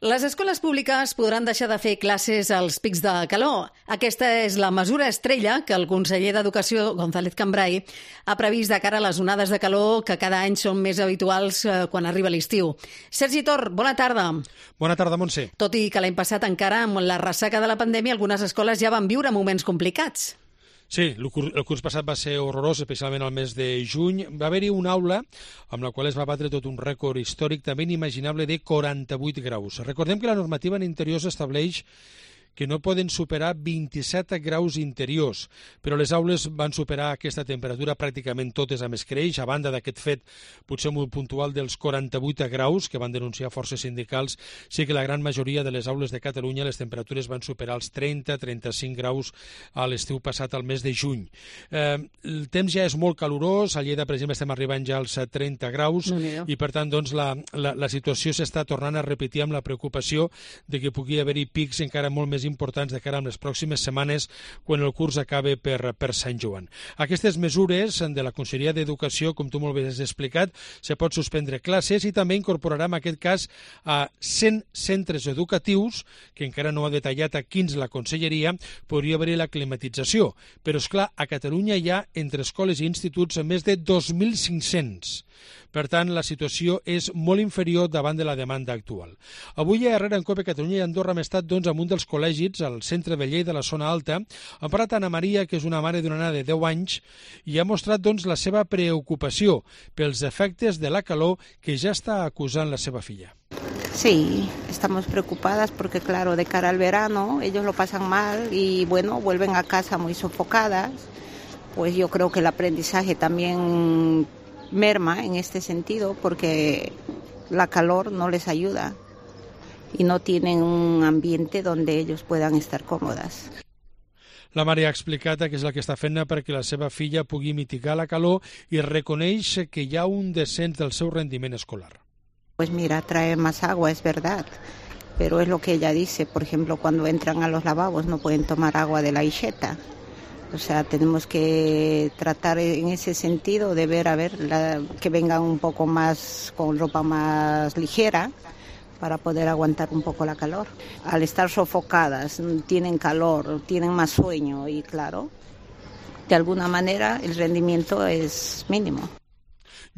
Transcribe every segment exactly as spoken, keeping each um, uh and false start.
Les escoles públiques podran deixar de fer classes als pics de calor. Aquesta és la mesura estrella que el conseller d'Educació, González Cambray, ha previst de cara a les onades de calor que cada any són més habituals quan arriba l'estiu. Sergi Tor, bona tarda. Bona tarda, Montse. Tot i que l'any passat encara, amb la ressaca de la pandèmia, algunes escoles ja van viure moments complicats. Sí, el curs, el curs passat va ser horrorós, especialment al mes de juny. Va haver-hi una aula amb la qual es va batre tot un rècord històric també inimaginable de quaranta-vuit graus. Recordem que la normativa en interiors estableix que no poden superar vint-i-set graus interiors, però les aules van superar aquesta temperatura pràcticament totes amb escreix, a banda d'aquest fet potser molt puntual dels quaranta-vuit graus que van denunciar forces sindicals. Sí que la gran majoria de les aules de Catalunya les temperatures van superar els trenta a trenta-cinc graus a l'estiu passat al mes de juny. Eh, el temps ja és molt calorós, a Lleida, per exemple, estem arribant ja als trenta graus, no, i per tant doncs, la, la, la situació s'està tornant a repetir amb la preocupació de que pugui haver-hi pics encara molt més importants de cara a les pròximes setmanes quan el curs acabe per, per Sant Joan. Aquestes mesures de la Conselleria d'Educació, com tu molt bé has explicat, se pot suspendre classes i també incorporarà en aquest cas a cent centres educatius, que encara no ha detallat a quins la Conselleria, podria haver-hi la climatització. Però, esclar, a Catalunya hi ha entre escoles i instituts més de dos mil cinc-cents. Per tant, la situació és molt inferior davant de la demanda actual. Avui a Herrera en Cope Catalunya i Andorra hem estat doncs, amb un dels col·legis, al centre de Lleida, de la zona alta. Ha parlat Anna Maria, que és una mare d'una nena de deu anys, i ha mostrat doncs, la seva preocupació pels efectes de la calor que ja està acusant la seva filla. Sí, estamos preocupadas porque, claro, de cara al verano ellos lo pasan mal y, bueno, vuelven a casa muy sofocadas. Pues yo creo que el aprendizaje también merma en este sentido porque la calor no les ayuda y no tienen un ambiente donde ellos puedan estar còmodes. La mare ha explicat que és la que està fent perquè la seva filla pugui mitigar la calor i reconeix que hi ha un descens del seu rendiment escolar. Pues mira, trae más agua, es verdad, pero es lo que ella dice. Por ejemplo, cuando entran a los lavabos no pueden tomar agua de la aixeta. O sea, tenemos que tratar en ese sentido de ver, a ver, la, que vengan un poco más, con ropa más ligera, para poder aguantar un poco la calor. Al estar sofocadas, tienen calor, tienen más sueño y, claro, de alguna manera el rendimiento es mínimo.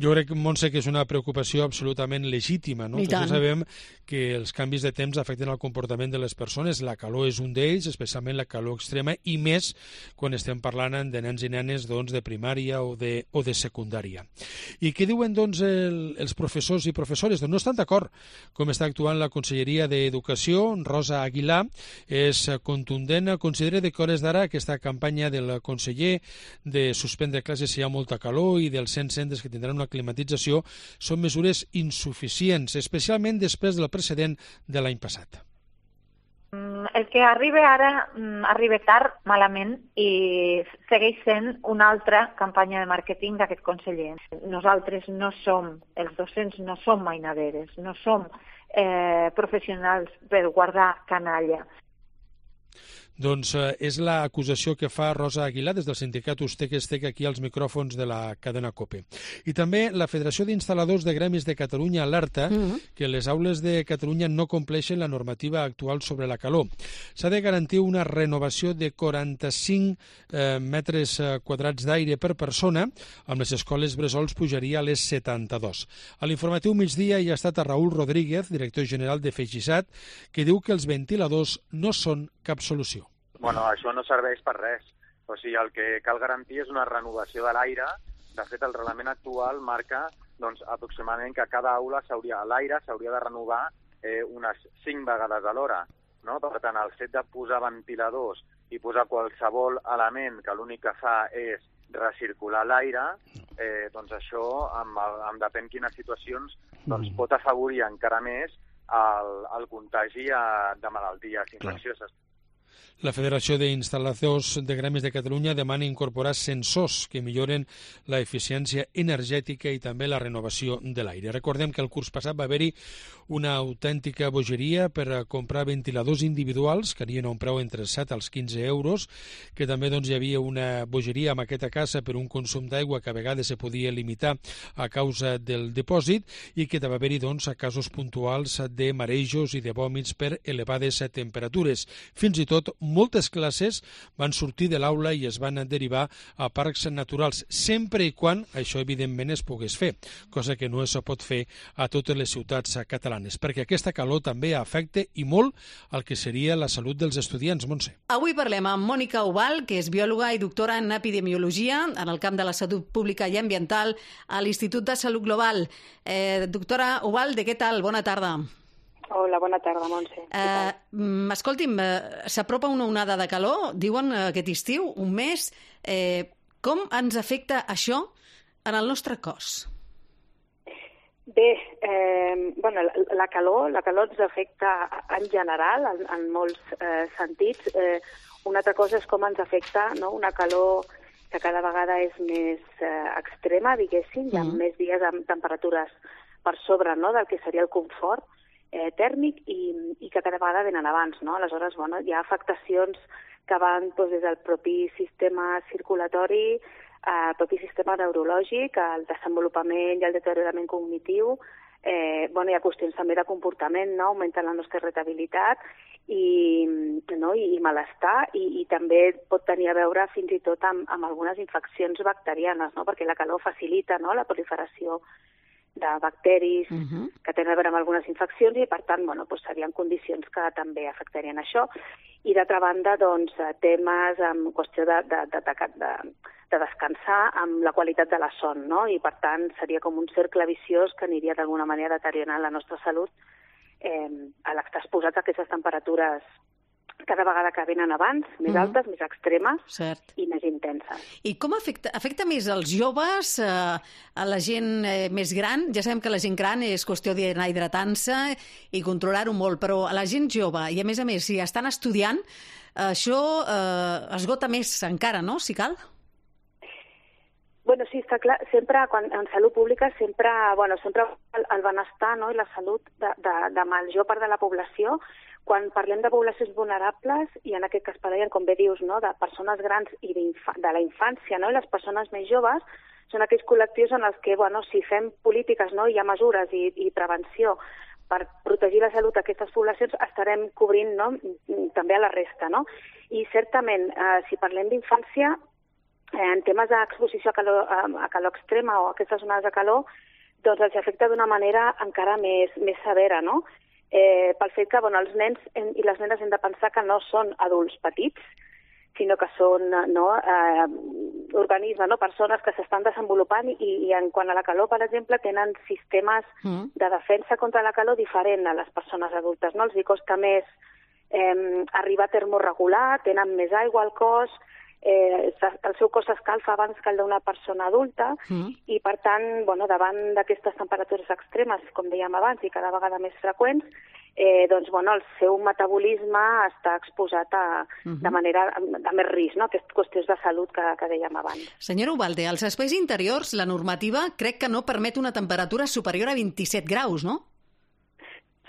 Jo crec, Montse, que és una preocupació absolutament legítima, no? Tots sabem que els canvis de temps afecten el comportament de les persones. La calor és un d'ells, especialment la calor extrema, i més quan estem parlant de nens i nenes doncs, de primària o de, o de secundària. I què diuen doncs, el, els professors i professores? Doncs no estan d'acord com està actuant la Conselleria d'Educació. Rosa Aguilar és contundent. Considera que a hores d'ara aquesta campanya del conseller de suspendre classes si hi ha molta calor i dels cent centres que tindran una climatització són mesures insuficients, especialment després del precedent de l'any passat. El que arriba ara arriba tard, malament, i segueix sent una altra campanya de màrqueting d'aquest conseller. Nosaltres no som, els docents no som mainaderes, no som eh, professionals per guardar canalla. Doncs eh, és l'acusació que fa Rosa Aguilar des del sindicat Ustec-Estec aquí als micròfons de la cadena COPE. I també la Federació d'Instal·ladors de Gremis de Catalunya alerta uh-huh. que les aules de Catalunya no compleixen la normativa actual sobre la calor. S'ha de garantir una renovació de quaranta-cinc eh, metres quadrats d'aire per persona, amb les escoles bressols pujaria a les setanta-dos. A l'informatiu migdia hi ha estat a Raül Rodríguez, director general de Feixisat, que diu que els ventiladors no són cap solució. Bueno, això no serveix per res. O sigui, el que cal garantir és una renovació de l'aire. De fet, el reglament actual marca doncs, aproximadament que cada aula s'hauria, l'aire s'hauria de renovar eh, unes cinc vegades a l'hora. No? Per tant, el fet de posar ventiladors i posar qualsevol element que l'únic que fa és recircular l'aire, eh, doncs això, amb, el, amb depèn quines situacions, doncs, pot afavorir encara més el, el contagi de malalties infeccioses. La Federació d'Instal·ladors de Gremis de Catalunya demana incorporar sensors que milloren la eficiència energètica i també la renovació de l'aire. Recordem que el curs passat va haver-hi una autèntica bogeria per comprar ventiladors individuals que anien a un preu entre set als quinze euros, que també doncs, hi havia una bogeria amb aquesta casa per un consum d'aigua que a vegades se podia limitar a causa del dipòsit i que va haver-hi doncs, casos puntuals de marejos i de vòmits per elevades temperatures. Fins i tot moltes classes van sortir de l'aula i es van derivar a parcs naturals, sempre i quan això evidentment es pogués fer, cosa que no es pot fer a totes les ciutats catalanes, perquè aquesta calor també afecta i molt el que seria la salut dels estudiants, Montse. Avui parlem amb Mònica Ubal, que és biòloga i doctora en epidemiologia en el camp de la salut pública i ambiental a l'Institut de Salut Global. Eh, doctora Ubal, de què tal? Bona tarda. Hola, bona tarda, Montse. Eh, escolti'm, eh, s'apropa una onada de calor, diuen eh, aquest estiu, un mes. Eh, com ens afecta això en el nostre cos? Bé, eh, bueno, la, la calor la calor ens afecta en general, en, en molts eh, sentits. Eh, una altra cosa és com ens afecta, no? Una calor que cada vegada és més eh, extrema, diguéssim, hi ha mm. més dies amb temperatures per sobre, no?, del que seria el confort eh, tèrmic i, i que cada vegada venen abans, no? Aleshores, bueno, hi ha afectacions que van doncs, des del propi sistema circulatori, el propi sistema neurològic, el desenvolupament i el deteriorament cognitiu, eh, bueno, hi ha qüestions també de comportament, no? Augmenten la nostra irritabilitat i, no? I, i malestar, i, i també pot tenir a veure fins i tot amb, amb algunes infeccions bacterianes, no? Perquè la calor facilita, no?, la proliferació de bacteris uh-huh. que tenen a veure amb algunes infeccions i, per tant, bueno, doncs serien condicions que també afectarien això. I, d'altra banda, doncs, temes en qüestió de, de, de, de, de, de descansar amb la qualitat de la son, no? I, per tant, seria com un cercle viciós que aniria d'alguna manera deteriorant la nostra salut eh, a l'estar exposats a aquestes temperatures cada vegada que venen abans, més altes, mm. més extremes Cert. I més intenses. I com afecta, afecta més als joves, eh, a la gent eh, més gran? Ja sabem que la gent gran és qüestió d'anar hidratant-se i controlar-ho molt, però a la gent jove, i a més a més, si estan estudiant, això eh, esgota més encara, no?, si cal? Bueno, sí, està clar, sempre, quan, en salut pública, sempre, bueno, sempre el, el benestar, no?, i la salut de, de, de major part de la població. Quan parlem de poblacions vulnerables, i en aquest cas parlem, com bé dius, no?, de persones grans i de la infància, no?, i les persones més joves, són aquells col·lectius en els que, bueno, si fem polítiques, no?, hi ha mesures i, i prevenció per protegir la salut d'aquestes poblacions, estarem cobrint, no?, també a la resta, no? I certament, eh, si parlem d'infància, eh, en temes d'exposició a calor, a calor extrema o a aquestes onades de calor, doncs els afecta d'una manera encara més, més severa, no? Eh, pel fet que, bueno, els nens i les nenes hem de pensar que no són adults petits, sinó que són, no, eh, organismes, no, persones que s'estan desenvolupant i, i en quant a la calor, per exemple, tenen sistemes mm. de defensa contra la calor diferent a les persones adultes, no? Els hi costa més eh, arribar a termorregular, tenen més aigua al cos, Eh, el seu cos s'escalfa abans que el d'una persona adulta mm. i, per tant, bueno, davant d'aquestes temperatures extremes, com dèiem abans, i cada vegada més freqüents, eh, doncs, bueno, el seu metabolisme està exposat a, mm-hmm. de manera de més risc, no?, aquestes qüestions de salut que, que dèiem abans. Senyora Ubalde, als espais interiors la normativa crec que no permet una temperatura superior a vint-i-set graus, no?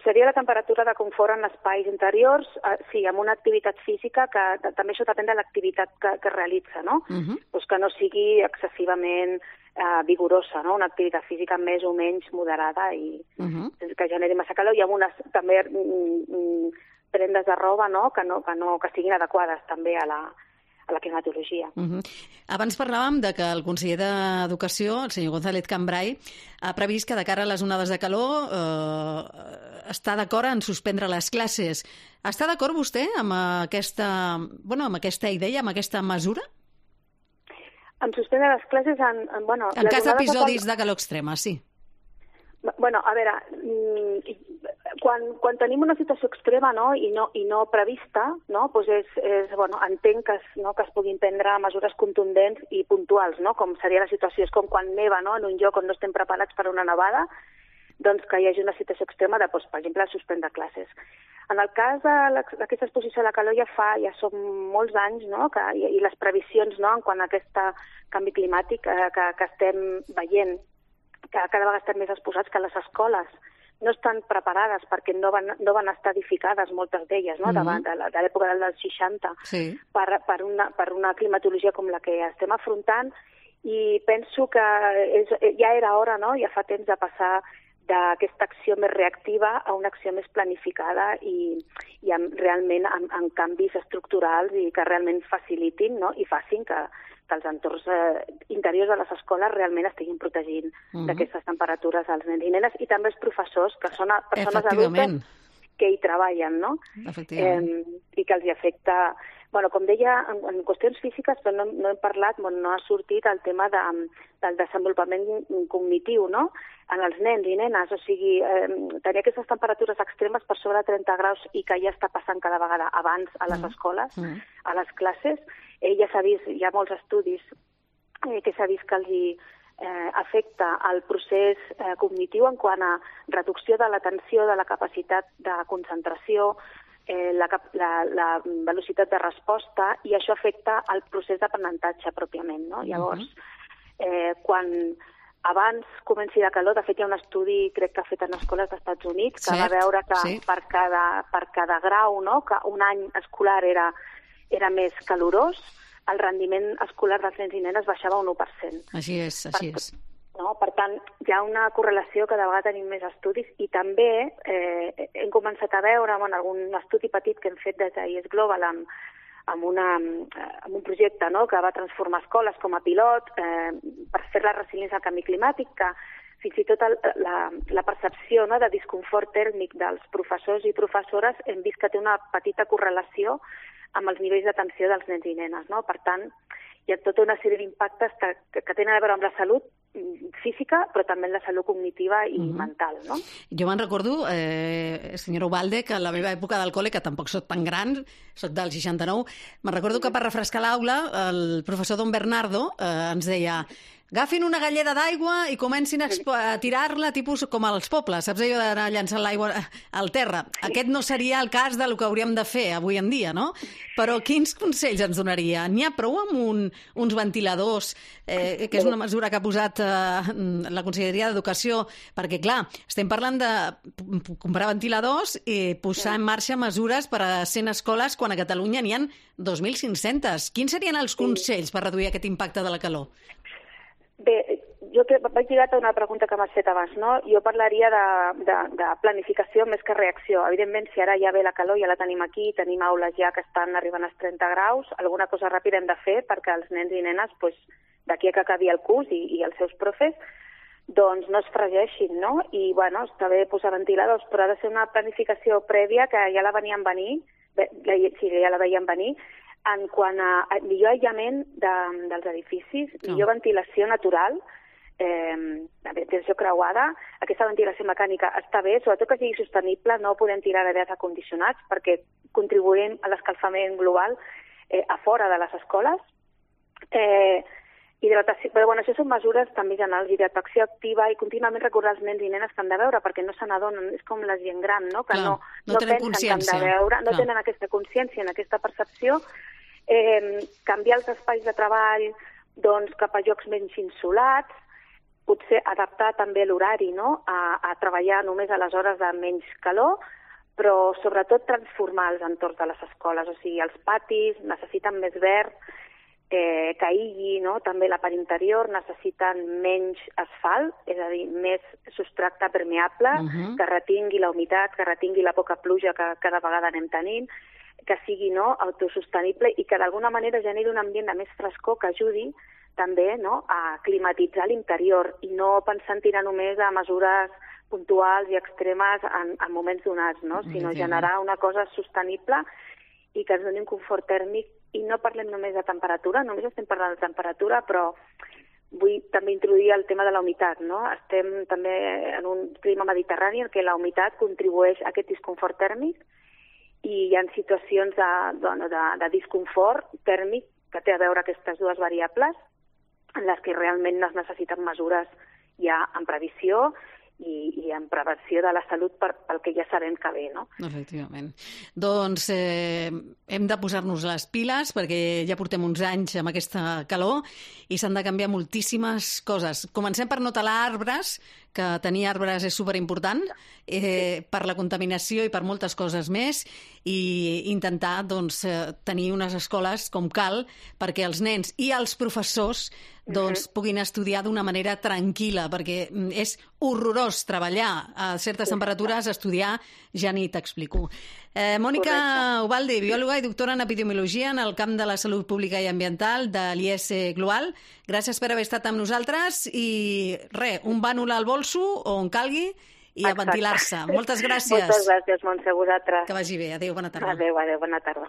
Seria la temperatura de confort en espais interiors, eh, sí, amb una activitat física que, que també això depèn de l'activitat que, que realitza, no? Uh-huh. Pues que no sigui excessivament eh, vigorosa, no? Una activitat física més o menys moderada i uh-huh. que generi massa calor, i amb unes també mm, prendes de roba, no? Que, no, que, no, que siguin adequades també a la, a la climatologia. Uh-huh. Abans parlàvem de que el conseller d'Educació, el senyor González Cambray, ha previst que de cara a les onades de calor eh, està d'acord en suspendre les classes. Està d'acord vostè amb aquesta, bueno, amb aquesta idea, amb aquesta mesura? En suspendre les classes en... En, bueno, en cas d'episodis de calor extrema, sí. Bueno, a veure, quan, quan tenim una situació extrema, no, i no, i no prevista, no, doncs és, és, bueno, entenc que es, no, que es puguin prendre mesures contundents i puntuals, no, com seria la situació, és com quan neva, no, en un lloc on no estem preparats per a una nevada, doncs que hi hagi una situació extrema de, doncs, per exemple, suspendre classes. En el cas d'aquesta exposició a la calor ja fa, ja són molts anys, no?, que, i, i les previsions, no?, en quant a aquest canvi climàtic eh, que, que estem veient, que cada vegada estem més exposats, que les escoles no estan preparades perquè no van, no van estar edificades, moltes d'elles, no?, mm-hmm. de, de, de l'època dels seixanta, sí. per, per, una, per una climatologia com la que estem afrontant, i penso que és, ja era hora, no?, ja fa temps de passar d'aquesta acció més reactiva a una acció més planificada i, i amb, realment amb, amb canvis estructurals i que realment facilitin, no?, i facin que, que els entorns eh, interiors de les escoles realment estiguin protegint uh-huh. d'aquestes temperatures als nens i nenes, i també els professors, que són persones adultes que hi treballen, no? Eh, i que els hi afecta... Bueno, com deia, en, en qüestions físiques però no, no hem parlat, bueno, no ha sortit el tema de, del desenvolupament cognitiu, no?, en els nens i nenes, o sigui, eh, tenir aquestes temperatures extremes per sobre trenta graus i que ja està passant cada vegada abans a les escoles, mm. a les classes, eh, ja s'ha vist, hi ha molts estudis eh, que s'ha vist que els hi eh, afecta el procés eh, cognitiu en quant a reducció de l'atenció, de la capacitat de concentració, Eh, la, la, la velocitat de resposta, i això afecta el procés d'aprenentatge pròpiament, no? Llavors, eh, quan abans comenci la calor, de fet hi ha un estudi, crec que ha fet en escoles dels Estats Units, que Cert, va veure que sí. per, cada, per cada grau, no?, que un any escolar era, era més calorós, el rendiment escolar dels nens i nenes baixava un u per cent. Així és, així per, és. No? Per tant, hi ha una correlació que de vegades tenim més estudis, i també eh, hem començat a veure en algun estudi petit que hem fet des d'I E S Global amb, amb, una, amb un projecte, no?, que va transformar escoles com a pilot eh, per fer la resiliència al canvi climàtic, que fins i tot el, la, la percepció, no?, de disconfort tèrmic dels professors i professores hem vist que té una petita correlació amb els nivells d'atenció dels nens i nenes, no? Per tant, hi ha tota una sèrie d'impactes que, que tenen a veure amb la salut física, però també en la salut cognitiva i uh-huh. mental, no? Jo me'n recordo, eh, senyora Ubalde, que a la meva època del col·le, que tampoc soc tan gran, soc del seixanta-nou, me'n recordo que per refrescar l'aula el professor Don Bernardo eh, ens deia: agafin una galleda d'aigua i comencin a, a tirar-la tipus com als pobles, saps allò d'anar llançant l'aigua al terra? Sí. Aquest no seria el cas del que hauríem de fer avui en dia, no? Però quins consells ens donaria? N'hi ha prou amb un, uns ventiladors, eh, que és una mesura que ha posat eh, la Conselleria d'Educació, perquè, clar, estem parlant de comprar ventiladors i posar en marxa mesures per a cent escoles quan a Catalunya n'hi ha dos mil cinc-cents. Quins serien els consells per reduir aquest impacte de la calor? Bé, jo que vaig lligat a una pregunta que m'has fet abans, no? Jo parlaria de, de, de planificació més que reacció. Evidentment, si ara ja ve la calor, ja la tenim aquí, tenim aules ja que estan arribant als trenta graus, alguna cosa ràpida hem de fer perquè els nens i nenes, pues, d'aquí a que acabi el curs i, i els seus profes, doncs no es fregeixin, no? I, bueno, està bé posar ventiladors, però ha de ser una planificació prèvia que ja la veníem venir, sí, ja la veiem venir, en quant a millor aïllament de, dels edificis, millor oh. ventilació natural, eh, ventilació creuada. Aquesta ventilació mecànica està bé, sobretot que sigui sostenible, no podem tirar d'aires acondicionats perquè contribuïm a l'escalfament global eh, a fora de les escoles. Eh, hidratació, però bueno, això són mesures també generals, hidratació activa i contínuament recordar als nens i nenes que han de veure perquè no se n'adonen, és com la gent gran, no? Que Clar, no, no, no tenen pensen que han de veure, no Clar. tenen aquesta consciència, en aquesta percepció. Eh, canviar els espais de treball doncs, cap a llocs menys insolats, potser adaptar també l'horari, no?, a, a treballar només a les hores de menys calor, però sobretot transformar els entorns de les escoles, o sigui, els patis necessiten més verd, eh, que aïlli, no?, també la part interior, necessiten menys asfalt, és a dir, més substrat permeable, uh-huh. que retingui la humitat, que retingui la poca pluja que cada vegada anem tenint, que sigui, no?, autosostenible i que d'alguna manera generi un ambient de més frescor que ajudi també, no?, a climatitzar l'interior i no pensar en tirar només a mesures puntuals i extremes en, en moments donats, no?, sinó sí, sí. generar una cosa sostenible i que ens doni un confort tèrmic. I no parlem només de temperatura, només estem parlant de temperatura, però vull també introduir el tema de la humitat, no? Estem també en un clima mediterrani en què la humitat contribueix a aquest disconfort tèrmic i hi ha situacions de, bueno, de, de disconfort tèrmic que té a veure aquestes dues variables en les que realment es necessiten mesures ja en previsió i, i en prevenció de la salut per, pel que ja sabem que ve, no? Efectivament. Doncs eh, hem de posar-nos les piles perquè ja portem uns anys amb aquesta calor i s'han de canviar moltíssimes coses. Comencem per no talar arbres, que tenir arbres és superimportant eh, per la contaminació i per moltes coses més, i intentar doncs, tenir unes escoles com cal perquè els nens i els professors doncs, uh-huh. puguin estudiar d'una manera tranquil·la, perquè és horrorós treballar a certes temperatures, estudiar, ja ni t'explico. Eh, Mònica Ubaldi, biòloga i doctora en epidemiologia en el camp de la salut pública i ambiental de l'I E S Global, gràcies per haver estat amb nosaltres i res, un bànol al bolso o on calgui i a ventilar-se. Moltes gràcies. Moltes gràcies, Montse, a vosaltres. Que vagi bé. Adéu, bona tarda. Adéu, adéu, bona tarda.